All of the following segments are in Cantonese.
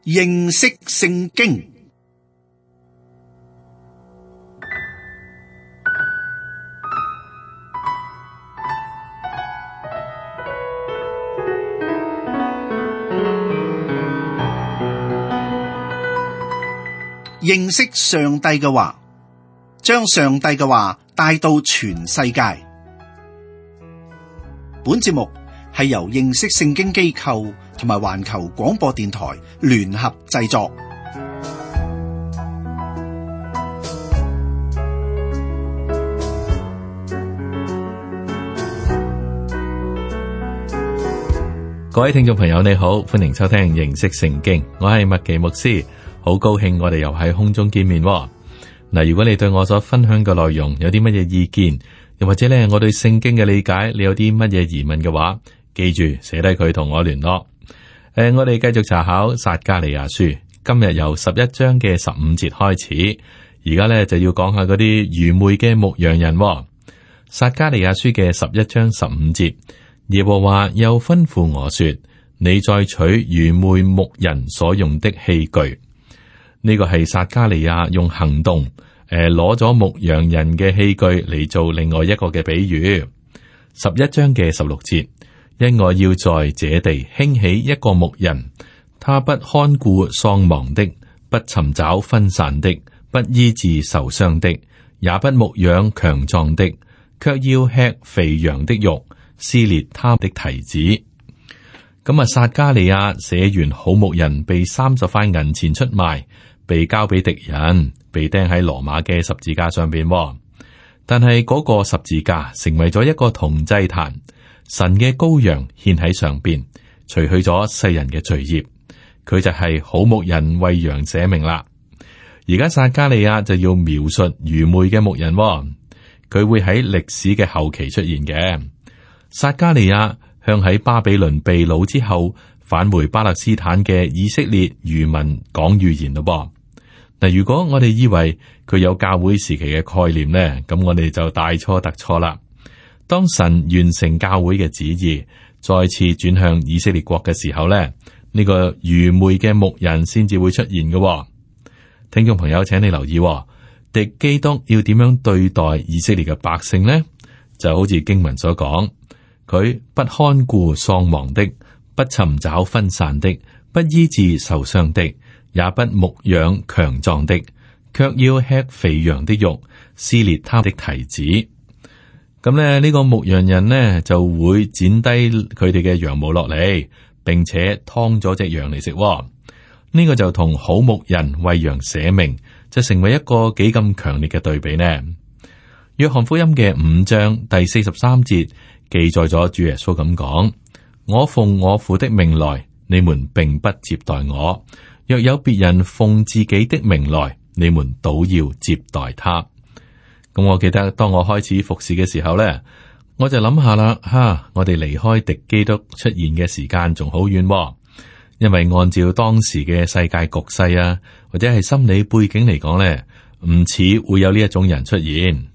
認識聖經。認識上帝嘅話，將上帝嘅話帶到全世界。本節目係由認識聖經機構同埋環球廣播電台聯合製作。各位聽眾朋友，你好，歡迎收聽認識聖經，我係麥奇牧師，好高興我哋又喺空中見面。嗱，如果你對我所分享嘅內容有啲乜嘢意見，又或者咧我對聖經嘅理解，你有啲乜嘢疑問嘅話，記住寫低佢同我聯絡。我哋繼續查考撒迦利亞書，今日由11章嘅15節開始，而家咧就要講下嗰啲愚昧嘅牧羊人。撒迦利亞書嘅11章15節，耶和華又吩咐我說：你再取愚昧牧人所用的器具。呢個係撒迦利亞用行動攞咗牧羊人嘅器具嚟做另外一個嘅比喻。11章嘅16節，因我要在這地興起一個牧人，他不看顧喪亡的，不尋找分散的，不醫治受傷的，也不牧養強壯的，卻要吃肥羊的肉，撕裂他的蹄子。咁啊，撒迦利亞寫完好牧人被30塊銀錢出賣，被交俾敵人，被釘喺羅馬嘅十字架上邊。但係嗰個十字架成為咗一個銅祭壇，神嘅羔羊獻喺上邊，除去咗世人嘅罪孽。佢就係好牧人為羊捨命啦。而家撒迦利亞就要描述愚昧嘅牧人，佢會喺歷史嘅後期出現嘅。撒迦利亞向喺巴比倫被擄之後返回巴勒斯坦嘅以色列餘民講預言咯。嗱，如果我哋以為佢有教會時期嘅概念呢，咁我哋就大錯特錯啦。當神完成教會嘅旨意，再次轉向以色列國嘅時候呢，呢個愚昧嘅牧人先至會出現嘅。聽眾朋友，請你留意，敵基督要點樣對待以色列嘅百姓呢？就好似經文所講，佢不看顧喪亡的，不尋找分散的，不醫治受傷的，也不牧養強壯的，卻要吃肥羊的肉，撕裂他的蹄子。咁咧，呢個牧羊人呢就會剪低佢哋嘅羊毛落嚟，並且劏咗隻羊嚟食。呢個就同好牧人為羊捨命，就成為一個幾咁強烈嘅對比呢。約翰福音嘅5章第43節記載咗主耶穌咁講：我奉我父的命來，你們並不接待我；若有別人奉自己的命來，你們倒要接待他。咁我記得當我開始服侍嘅時候呢，我就諗下啦，我哋離開敵基督出現嘅時間仲好遠，因為按照當時嘅世界局勢啊，或者係心理背景嚟講呢，唔似會有呢一種人出現。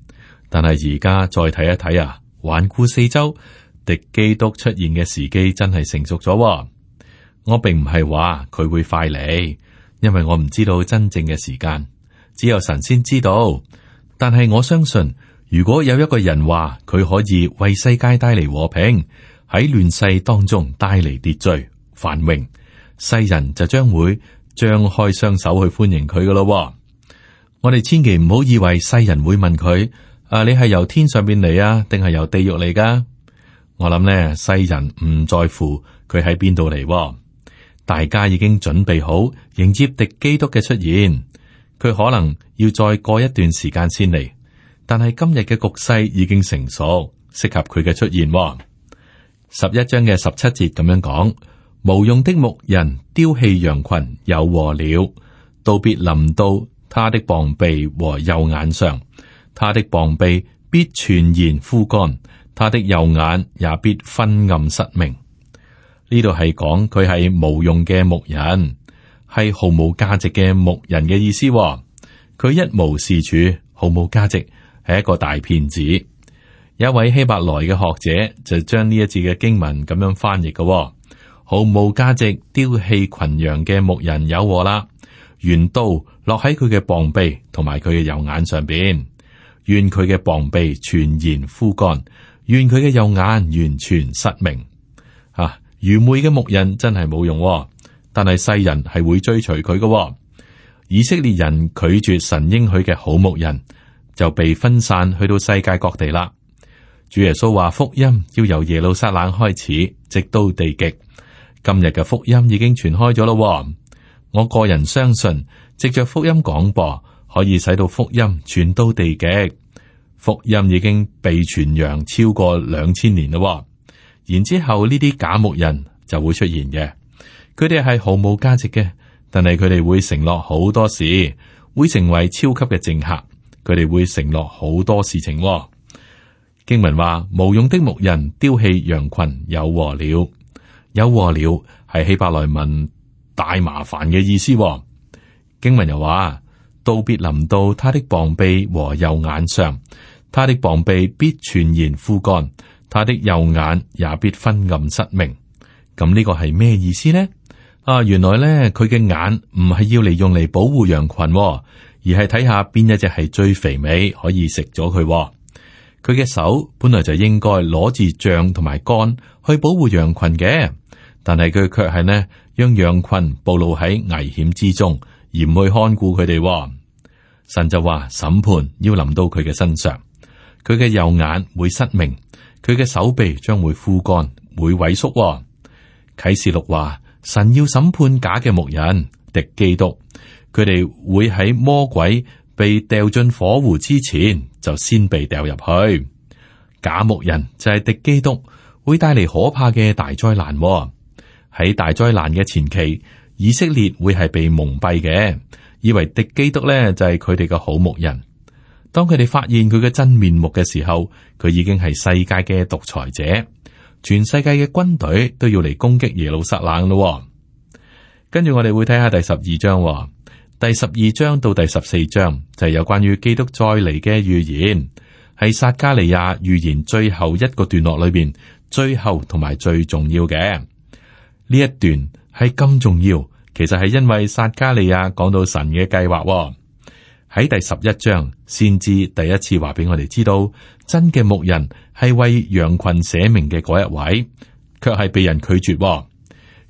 但係而家再睇一睇啊，環顧四周，敵基督出現嘅時機真係成熟咗。我並唔係話佢會快嚟，因為我唔知道真正嘅時間，只有神先知道。但係我相信，如果有一個人話佢可以為世界帶嚟和平，喺亂世當中帶嚟秩序繁榮，世人就將會張開雙手去歡迎佢噶咯。我哋千祈唔好以為世人會問佢：你係由天上邊嚟啊，定係由地獄嚟噶？我諗呢，世人唔在乎佢喺邊度嚟，大家已經準備好迎接敵基督嘅出現。佢可能要再過一段時間先嚟，但係今日嘅局勢已經成熟，適合佢嘅出現。11章嘅17節咁樣講：無用的牧人丟棄羊群，有禍了，道必臨到他的膀臂和右眼上，他的膀臂必全然枯乾，他的右眼也必昏暗失明。呢度係講佢係無用嘅牧人，係毫無價值嘅牧人嘅意思。佢一無是處，毫無價值，係一個大騙子。有一位希伯來嘅學者就將呢一節嘅經文咁樣翻譯嘅，毫無價值丟棄群羊嘅牧人有禍啦。願刀落喺佢嘅膀臂同埋佢嘅右眼上邊，願佢嘅膀臂全然枯乾，願佢嘅右眼完全失明。愚昧嘅牧人真係冇用，但係世人係會追隨佢嘅。以色列人拒絕神應許嘅好牧人，就被分散去到世界各地啦。主耶穌話福音要由耶路撒冷開始，直到地極。今日嘅福音已經傳開咗咯。我個人相信，藉着福音廣播，可以使到福音傳到地極。福音已經被傳揚超過2000年咯。然之後呢啲假牧人就會出現嘅，佢哋係毫無價值嘅，但係佢哋會承諾好多事，會成為超級嘅政客，佢哋會承諾好多事情。經文話，無用的牧人丟棄羊群，有禍了。有禍了係希伯來文大麻煩嘅意思。經文又話，刀必臨到他的膀臂和右眼上，他的膀臂必全然枯乾，他的右眼也必昏暗失明。咁呢個係咩意思呢？原來咧佢嘅眼唔係要嚟用嚟保護羊群，而係睇下邊一隻係最肥美，可以食咗佢。佢嘅手本來就應該攞住杖同埋竿去保護羊群嘅，但係佢卻係呢讓羊群暴露喺危險之中，而唔去看顧佢哋。神就話審判要臨到佢嘅身上，佢嘅右眼會失明，佢嘅手臂將會枯乾，會萎縮。啟示錄話神要審判假嘅牧人，敵基督，佢哋會喺魔鬼被掉進火湖之前就先被掉入去。假牧人就係敵基督，會帶嚟可怕嘅大災難。喺大災難嘅前期，以色列會係被蒙蔽嘅，以為敵基督咧就係佢哋嘅好牧人。當佢哋發現佢嘅真面目嘅時候，佢已經係世界嘅獨裁者，全世界嘅軍隊都要嚟攻擊耶路撒冷咯。跟住我哋會睇下第12章。第12章到第14章就係有關於基督再嚟嘅預言，係撒迦利亞預言最後一個段落裏邊最後同埋最重要嘅。呢一段係咁重要，其實係因為撒迦利亞講到神嘅計劃。喺第11章先知第一次話俾我哋知道，真嘅牧人係為羊群捨命嘅嗰一位，卻係被人拒絕。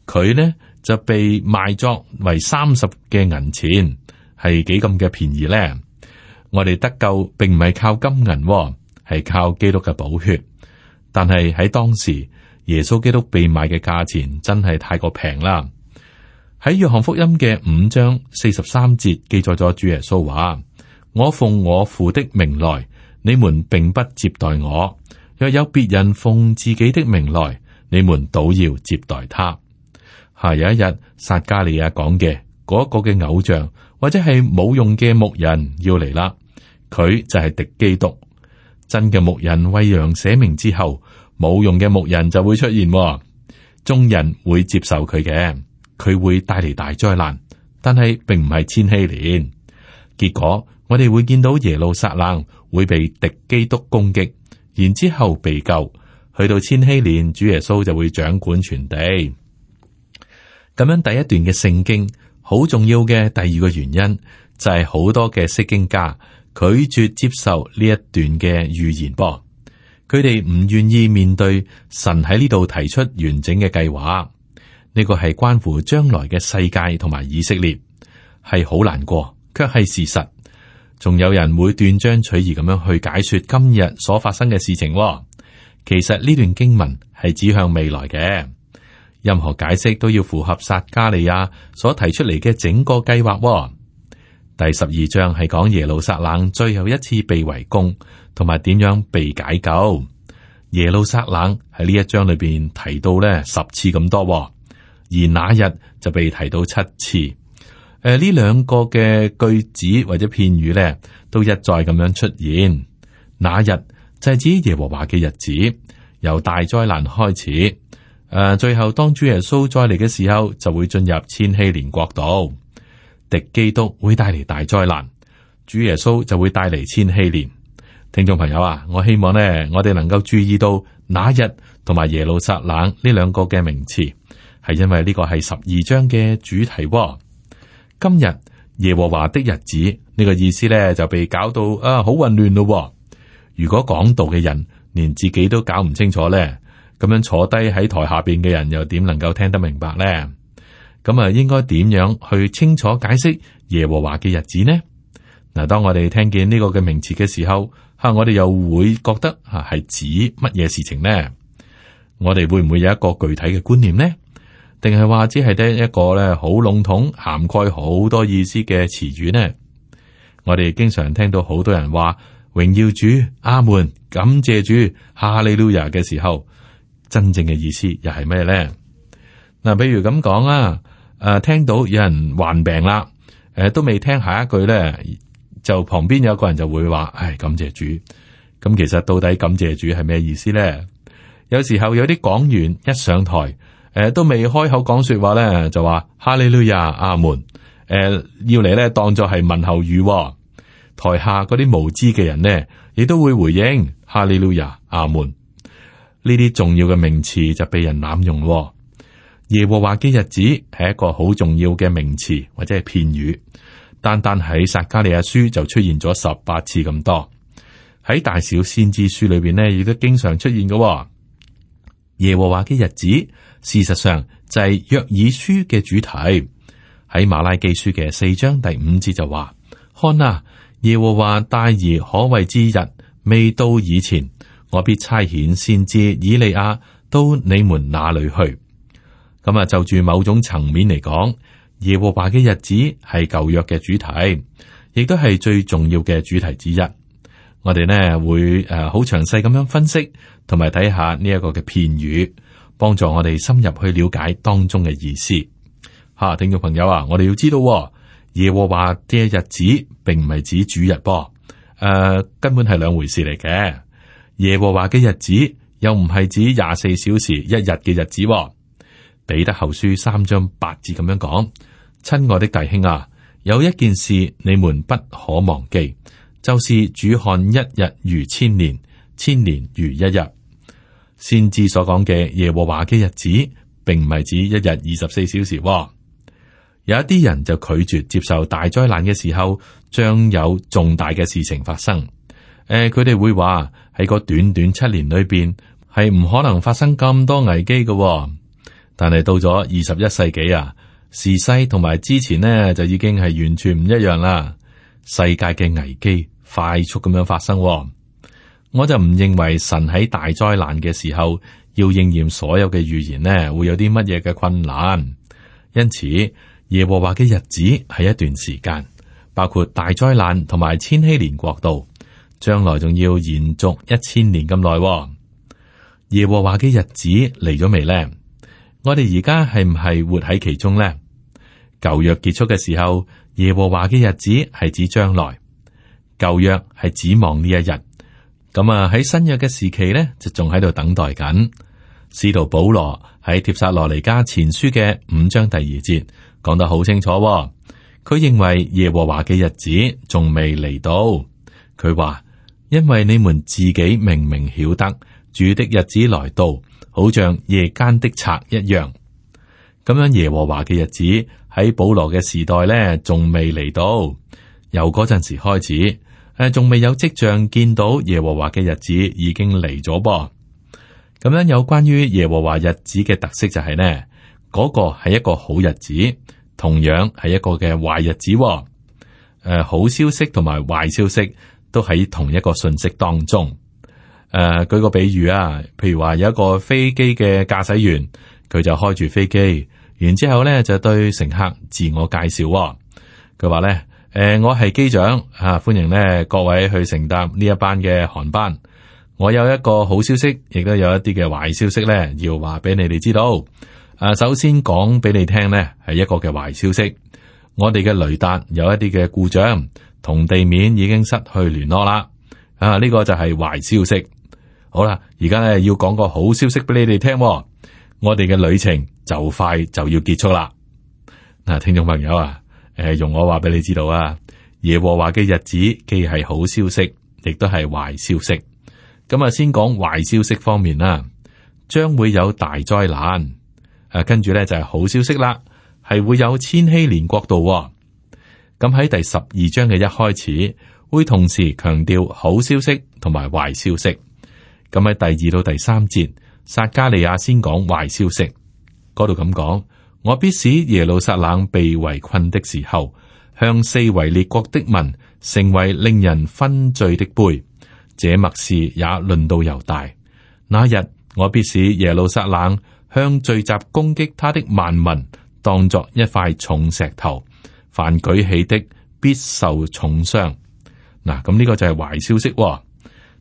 佢呢就被賣作為30嘅銀錢，係幾咁嘅便宜呢？我哋得救並唔係靠金銀，係靠基督嘅寶血。但係喺當時，耶穌基督被賣嘅價錢真係太過平啦。喺約翰福音嘅5章43節記載咗主耶穌話：我奉我父的名來，你們並不接待我；若有別人奉自己的名來，你們倒要接待他。有一日，撒迦利亞講嘅嗰個嘅偶像或者係冇用嘅牧人要嚟啦，佢就係敵基督。真嘅牧人為羊捨命之後，冇用嘅牧人就會出現，眾人會接受佢嘅，佢會帶嚟大災難，但係並唔係千禧年。結果我哋會見到耶路撒冷會被敵基督攻擊，然之後被救，去到千禧年，主耶穌就會掌管全地。咁樣第一段嘅聖經好重要嘅第二個原因就係好多嘅釋經家拒絕接受呢一段嘅預言噃，佢哋唔願意面對神喺呢度提出完整嘅計劃。呢個係關乎將來嘅世界同埋以色列，係好難過，卻係事實。仲有人會斷章取義咁樣去解說今日所發生嘅事情。其實呢段經文係指向未來嘅。任何解釋都要符合撒迦利亞所提出嚟嘅整個計劃。第12章係講耶路撒冷最後一次被圍攻，同埋點樣被解救。耶路撒冷喺呢一章裏邊提到咧10次咁多，而那日就被提到7次。呢兩個嘅句子或者片語咧，都一再咁樣出現。那日就係指耶和華嘅日子，由大災難開始。最後當主耶穌再嚟嘅時候，就會進入千禧年國度。敵基督會帶嚟大災難，主耶穌就會帶嚟千禧年。聽眾朋友啊，我希望呢，我哋能夠注意到那日同埋耶路撒冷呢兩個嘅名詞，係因為呢個係12章嘅主題喎。今日耶和華的日子呢個意思咧就被搞到好混亂咯喎。如果講道嘅人連自己都搞唔清楚咧，咁樣坐低喺台下邊嘅人又點能夠聽得明白咧？咁啊，應該點樣去清楚解釋耶和華嘅日子呢？嗱，當我哋聽見呢個嘅名詞嘅時候，我哋又會覺得係指乜嘢事情呢？我哋會唔會有一個具體嘅觀念呢？定係話只係得一個咧好籠統涵蓋好多意思嘅詞語呢？我哋經常聽到好多人話榮耀主、阿門、感謝主、哈利路亞嘅時候，真正嘅意思又係咩呢？嗱，比如咁講啊，聽到有人患病啦，都未聽下一句咧，就旁邊有個人就會話，感謝主。咁其實到底感謝主係咩意思咧？有時候有啲講員一上台，都未開口講說話咧，就話哈利路亞、阿門，要嚟咧當作係問候語。台下嗰啲無知嘅人呢，亦都會回應哈利路亞、阿門。呢啲重要嘅名詞就被人濫用。耶和華嘅日子係一個好重要嘅名詞或者係片語，單單喺撒迦利亞書就出現咗18次咁多。喺大小先知書裏邊呢，亦都經常出現嘅。耶和華嘅日子，事實上就係約珥書嘅主題。喺馬拉基書嘅4章第5節就話：看啊，耶和華大而可畏之日未到以前，我必差遣先知以利亞到你們那裏去。咁啊，就住某種層面嚟講，耶和華嘅日子係舊約嘅主題，亦都係最重要嘅主題之一。我哋呢會好詳細咁樣分析，同埋睇下呢一個嘅片語，幫助我哋深入去了解當中嘅意思。聽眾朋友啊，我哋要知道耶和華嘅日子並唔係指主日噃，根本係兩回事嚟嘅。耶和華嘅日子又唔係指24小時一日嘅日子。彼得後書3章8節咁樣講：親愛的弟兄啊，有一件事你們不可忘記，就是主看一日如千年，千年如一日。先知所講嘅耶和華嘅日子，並唔係指一日24小時。有一啲人就拒絕接受大災難嘅時候，將有重大嘅事情發生。佢哋會話喺個短短7年裏邊，係唔可能發生咁多危機嘅。但係到咗21世紀啊，時勢同埋之前呢，就已經係完全唔一樣啦。世界嘅危機快速咁樣發生。我就唔認為神喺大災難嘅時候要應驗所有嘅預言呢，會有啲乜嘢嘅困難。因此，耶和華嘅日子係一段時間，包括大災難同埋千禧年國度，將來仲要延續1000年咁耐。耶和華嘅日子嚟咗未呢？我哋而家係唔係活喺其中呢？舊約結束嘅時候，耶和華嘅日子係指將來，舊約係指望呢一日。咁啊，喺新約嘅時期呢，就仲喺度等待緊。使徒保羅喺帖撒羅尼迦前書嘅5章第2節講得好清楚。佢認為耶和華嘅日子仲未嚟到。佢話：因為你們自己明明曉得主的日子來到，好像夜間的賊一樣。咁樣耶和華嘅日子喺保羅嘅時代呢，仲未嚟到。由嗰陣時開始，仲未有跡象見到耶和華嘅日子已經嚟咗噃。咁樣有關於耶和華日子嘅特色就係呢，嗰個係一個好日子，同樣係一個嘅壞日子。好消息同埋壞消息都喺同一個信息當中。舉個比喻啊，譬如話有一個飛機嘅駕駛員，佢就開住飛機，然之後咧就對乘客自我介紹。佢話咧：我係機長啊，歡迎咧各位去乘搭呢一班嘅航班。我有一個好消息，亦都有一啲嘅壞消息咧，要話俾你哋知道。首先講俾你聽呢，係一個嘅壞消息。我哋嘅雷達有一啲嘅故障，同地面已經失去聯絡啦。呢個就係壞消息。好啦，而家咧要講個好消息俾你哋聽。我哋嘅旅程就快就要結束啦。嗱，聽眾朋友啊，容我話俾你知道啊，耶和華嘅日子既係好消息，亦都係壞消息。咁啊，先講壞消息方面啦，將會有大災難。跟住咧就係好消息啦，係會有千禧年國度。咁喺第12章嘅一開始，會同時強調好消息同埋壞消息。咁喺第2到第3節，撒迦利亞先講壞消息，嗰度咁講：我必使耶路撒冷被圍困的時候，向四圍列國的民成為令人昏醉的杯。這默示也論到猶大。那日我必使耶路撒冷向聚集攻擊他的萬民當作一塊重石頭，凡舉起的必受重傷。嗱，咁呢個就係壞消息。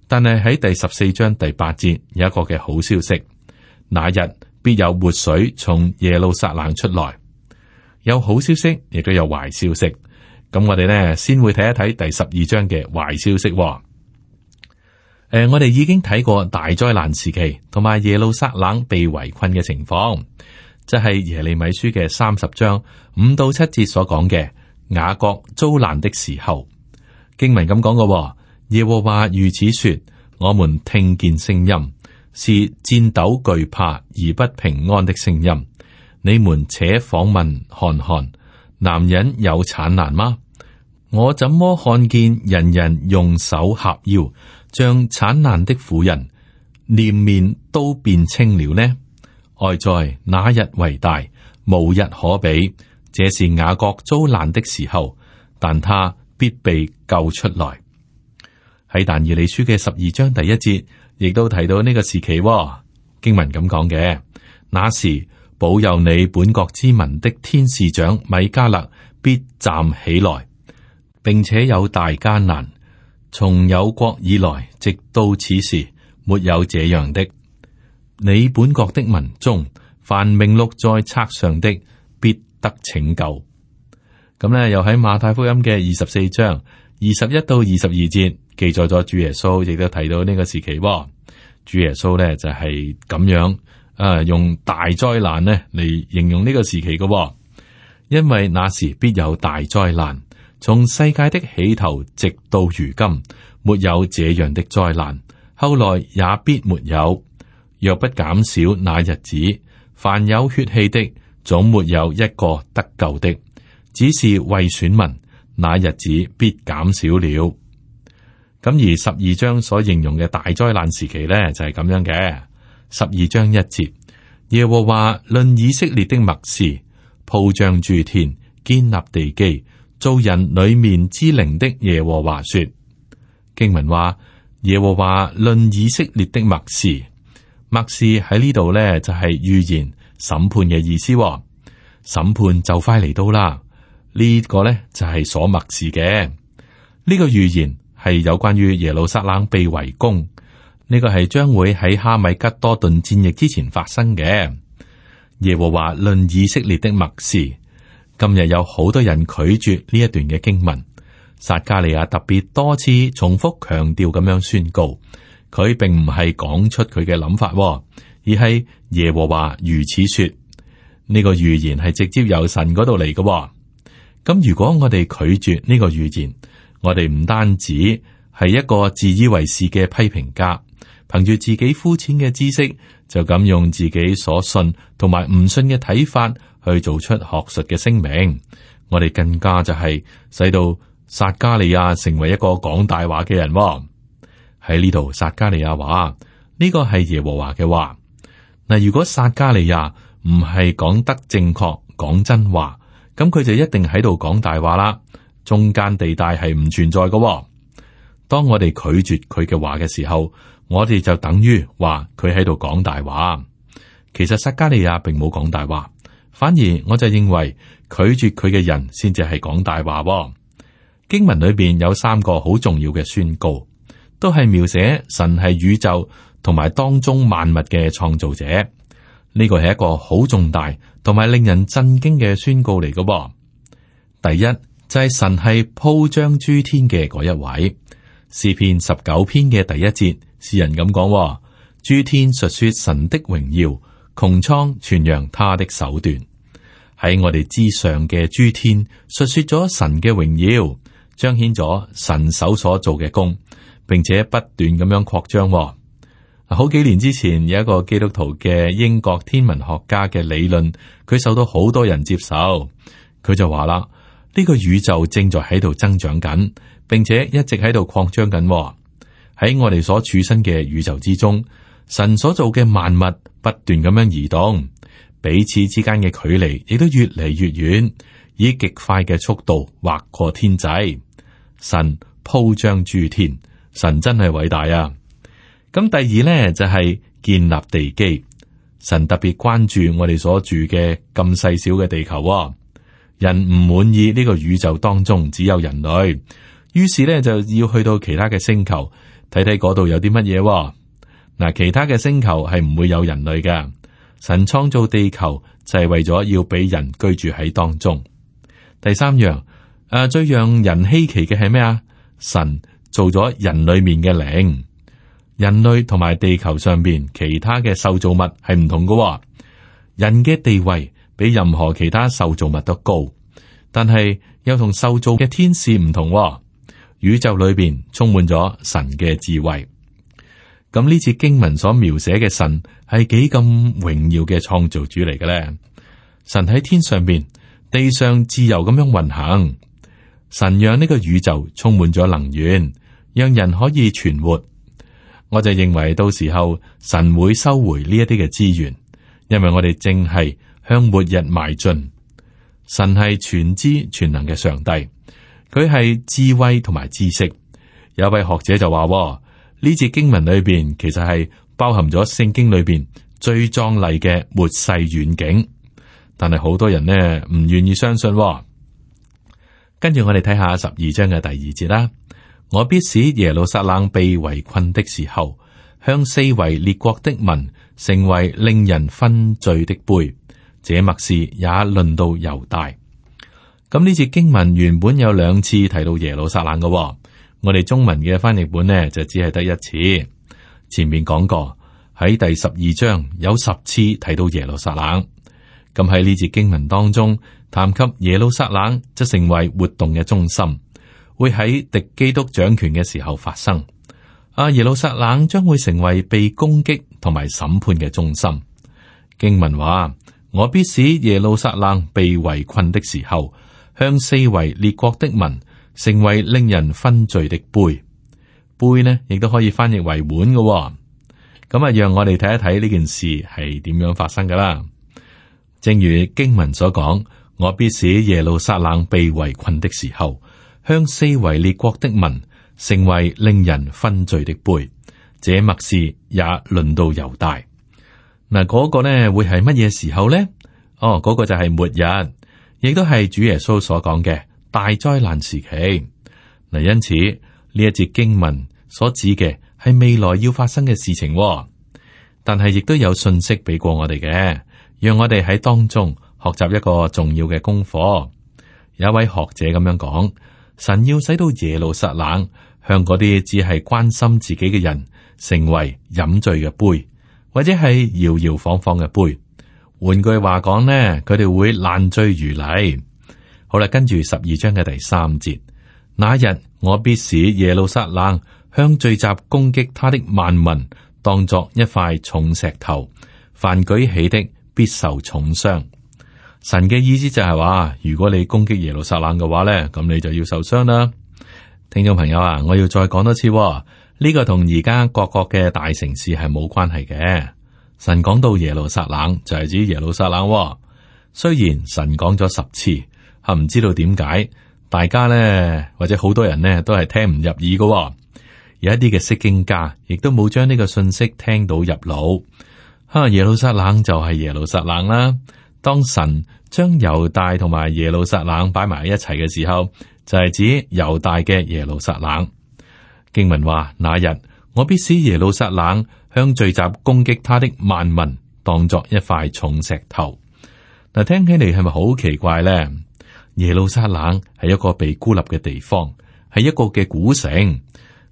但係喺第14章第8節有一個嘅好消息，那日必有活水從耶路撒冷出來。有好消息，亦都有壞消息。咁我哋呢先會睇一睇第12章嘅壞消息。我哋已經睇過大災難時期同埋耶路撒冷被圍困嘅情況，即係耶利米書嘅30章5到7節所講嘅雅各遭難的時候。經文咁講嘅，耶和華如此說：我們聽見聲音，是戰鬥懼怕而不平安的聲音。你們且訪問看看，男人有產難嗎？我怎麼看見人人用手合腰，像產難的婦人，臉面都變青了呢？哀哉，那日為大，無日可比。這是雅各遭難的時候，但他必被救出來。喺但以理書嘅12章第1節，亦都提到呢個時期。經文咁講嘅，那時保佑你本國之民的天使長米迦勒必站起來，並且有大艱難，從有國以來直到此時，沒有這樣的。你本國的民中，凡名錄在冊上的，必得拯救。咁呢，又喺馬太福音嘅24章21到22節記載咗主耶穌，亦都提到呢個時期。主耶穌呢就係咁樣用大災難呢嚟形容呢個時期嘅，因為那時必有大災難，從世界的起頭直到如今，沒有這樣的災難，後來也必沒有。若不減少那日子，凡有血氣的，總沒有一個得救的。只是為選民，那日子必減少了。咁而12章所形容嘅大災難時期呢，就係咁樣嘅。12章1節，耶和華論以色列的默示，鋪張諸天，建立地基，造人裏面之靈的耶和華說。經文話耶和華論以色列的默示，默示喺呢度呢，就係預言審判嘅意思。審判就快嚟到啦。呢個呢，就係所默示嘅。呢個預言係有關於耶路撒冷被圍攻，呢個係將會喺哈米吉多頓戰役之前發生嘅。耶和華論以色列的默示，今日有好多人拒絕呢一段嘅經文。撒迦利亞特別多次重複強調咁樣宣告，佢並唔係講出佢嘅諗法，而係耶和華如此說。呢個預言係直接由神嗰度嚟嘅。咁如果我哋拒絕呢個預言，我哋唔單止係一個自以為是嘅批評家，憑住自己膚淺嘅知識，就咁用自己所信同埋唔信嘅睇法去做出學術嘅聲明。我哋更加就係使到撒迦利亞成為一個講大話嘅人。喺呢度，撒迦利亞話呢個係耶和華嘅話。嗱，如果撒迦利亞唔係講得正確、講真話，咁佢就一定喺度講大話啦。中間地帶係唔存在嘅。當我哋拒絕佢嘅話嘅時候，我哋就等於話佢喺度講大話。其實撒迦利亞並冇講大話，反而我就認為拒絕佢嘅人先至係講大話。經文裏邊有3個好重要嘅宣告，都係描寫神係宇宙同埋當中萬物嘅創造者。呢個係一個好重大同埋令人震驚嘅宣告嚟嘅。第一就係神係鋪張諸天嘅嗰一位。詩篇19篇嘅第1節，詩人咁講：諸天述說神的榮耀，穹蒼傳揚他的手段。喺我哋之上嘅諸天述說咗神嘅榮耀，彰顯咗神手所做嘅工，並且不斷咁樣擴張。好幾年之前有一個基督徒嘅英國天文學家嘅理論，佢受到好多人接受。佢就話啦，呢個宇宙正在喺度增長緊，並且一直喺度擴張緊。喺我哋所處身嘅宇宙之中，神所做嘅萬物不斷咁樣移動，彼此之間嘅距離亦都越嚟越遠，以極快嘅速度劃過天際。神鋪張諸天，神真係偉大啊！咁第二呢，就係建立地基，神特別關注我哋所住嘅咁細小嘅地球。人唔滿意呢個宇宙當中只有人類，於是呢，就要去到其他嘅星球睇睇嗰度有啲乜嘢。嗱，其他嘅星球係唔會有人類嘅。神創造地球就係為咗要俾人居住喺當中。第三樣，最讓人稀奇嘅係咩啊？神做咗人裏面嘅靈。人類同埋地球上邊其他嘅受造物係唔同嘅。人嘅地位比任何其他受造物都高，但係又同受造嘅天使唔同。宇宙裏邊充滿咗神嘅智慧。咁呢次經文所描寫嘅神係幾咁榮耀嘅創造主嚟嘅咧？神喺天上邊，地上自由咁樣運行。神讓呢個宇宙充滿咗能源，讓人可以存活。我就認為到時候神會收回呢一啲嘅資源，因為我哋正係向末日邁進。神係全知全能嘅上帝，佢係智慧同埋知識。有位學者就話，呢節經文裏邊其實係包含咗聖經裏邊最壯麗嘅末世遠景，但係好多人呢唔願意相信。跟住我哋睇下12章嘅第2節啦。我必使耶路撒冷被圍困的時候，向四圍列國的民成為令人分醉的杯。這默示也論到猶大。咁呢節經文原本有2次提到耶路撒冷嘅，我哋中文嘅翻譯本呢就只係得1次。前面講過喺第12章有10次提到耶路撒冷。咁喺呢節經文當中，談及耶路撒冷則成為活動嘅中心。會喺敵基督掌權嘅時候發生。耶路撒冷將會成為被攻擊同埋審判嘅中心。經文話：我必使耶路撒冷被圍困的時候，向四圍列國的民成為令人分醉的杯。杯呢，亦都可以翻譯為碗嘅。咁讓我哋睇一睇呢件事係點樣發生噶啦。正如經文所講，我必使耶路撒冷被圍困的時候，向四圍列國的民成為令人分醉的杯。這默示也論到猶大。嗱，嗰個呢會係乜嘢時候呢？嗰個就係末日，亦都係主耶穌所講嘅大災難時期。嗱，因此呢一節經文所指嘅係未來要發生嘅事情，但係亦都有信息俾過我哋嘅，讓我哋喺當中學習一個重要嘅功課。有一位學者咁樣講。神要使到耶路撒冷向嗰啲只係關心自己嘅人成為飲醉嘅杯，或者係搖搖晃晃嘅杯。換句話講呢，佢哋會爛醉如泥。好啦，跟住12章嘅第3節，那日我必使耶路撒冷向聚集攻擊他的萬民當作一塊重石頭，凡舉起的必受重傷。神嘅意思就係話，如果你攻擊耶路撒冷嘅話咧，咁你就要受傷啦。聽眾朋友啊，我要再講多次，呢個同而家各國嘅大城市係冇關係嘅。神講到耶路撒冷就係指耶路撒冷。雖然神講咗10次，唔知道點解大家咧或者好多人呢都係聽唔入耳嘅。有一啲嘅釋經家亦都冇將呢個信息聽到入腦。耶路撒冷就係耶路撒冷啦。當神將猶大同埋耶路撒冷擺埋一齊嘅時候，就係指猶大嘅耶路撒冷。經文話：那日我必使耶路撒冷向聚集攻擊他的萬民當作一塊重石頭。嗱，聽起嚟係咪好奇怪咧？耶路撒冷係一個被孤立嘅地方，係一個嘅古城，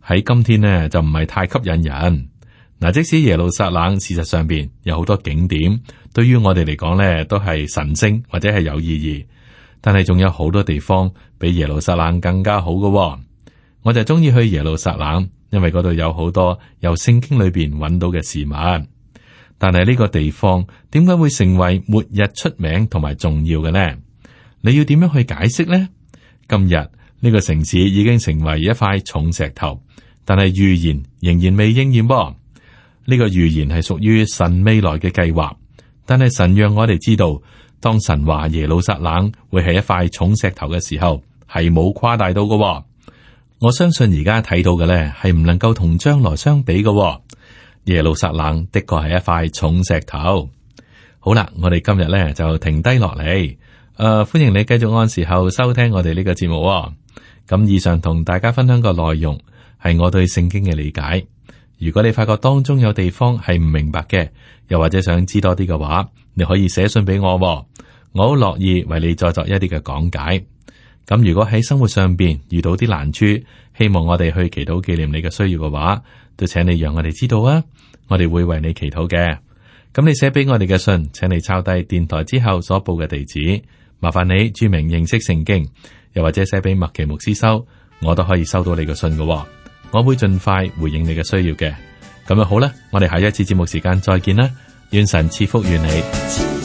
喺今天呢就唔係太吸引人。嗱，即使耶路撒冷事實上邊有好多景點，對於我哋嚟講咧都係神聖或者係有意義，但係仲有好多地方比耶路撒冷更加好嘅。我就中意去耶路撒冷，因為嗰度有好多由聖經裏邊揾到嘅事物。但係呢個地方點解會成為末日出名同埋重要嘅呢？你要點樣去解釋呢？今日呢個城市已經成為一塊重石頭，但係預言仍然未應驗噃。呢個預言係屬於神未來嘅計劃，但係神讓我哋知道，當神話耶路撒冷會係一塊重石頭嘅時候，係冇誇大到嘅。我相信而家睇到嘅呢係唔能夠同將來相比嘅。耶路撒冷的確係一塊重石頭。好啦，我哋今日呢就停低落嚟。歡迎你繼續按時候收聽我哋呢個節目。咁以上同大家分享個內容係我對聖經嘅理解。如果你發覺當中有地方係唔明白嘅，又或者想知多啲嘅話，你可以寫信俾我，我好樂意為你再作一啲嘅講解。咁如果喺生活上邊遇到啲難處，希望我哋去祈禱紀念你嘅需要嘅話，都請你讓我哋知道啊，我哋會為你祈禱嘅。咁你寫俾我哋嘅信，請你抄低電台之後所報嘅地址，麻煩你注明認識聖經，又或者寫俾麥奇牧師收，我都可以收到你嘅信嘅。我會盡快回應你嘅需要嘅。咁就好啦，我哋下一次節目時間再見啦，願神賜福於你。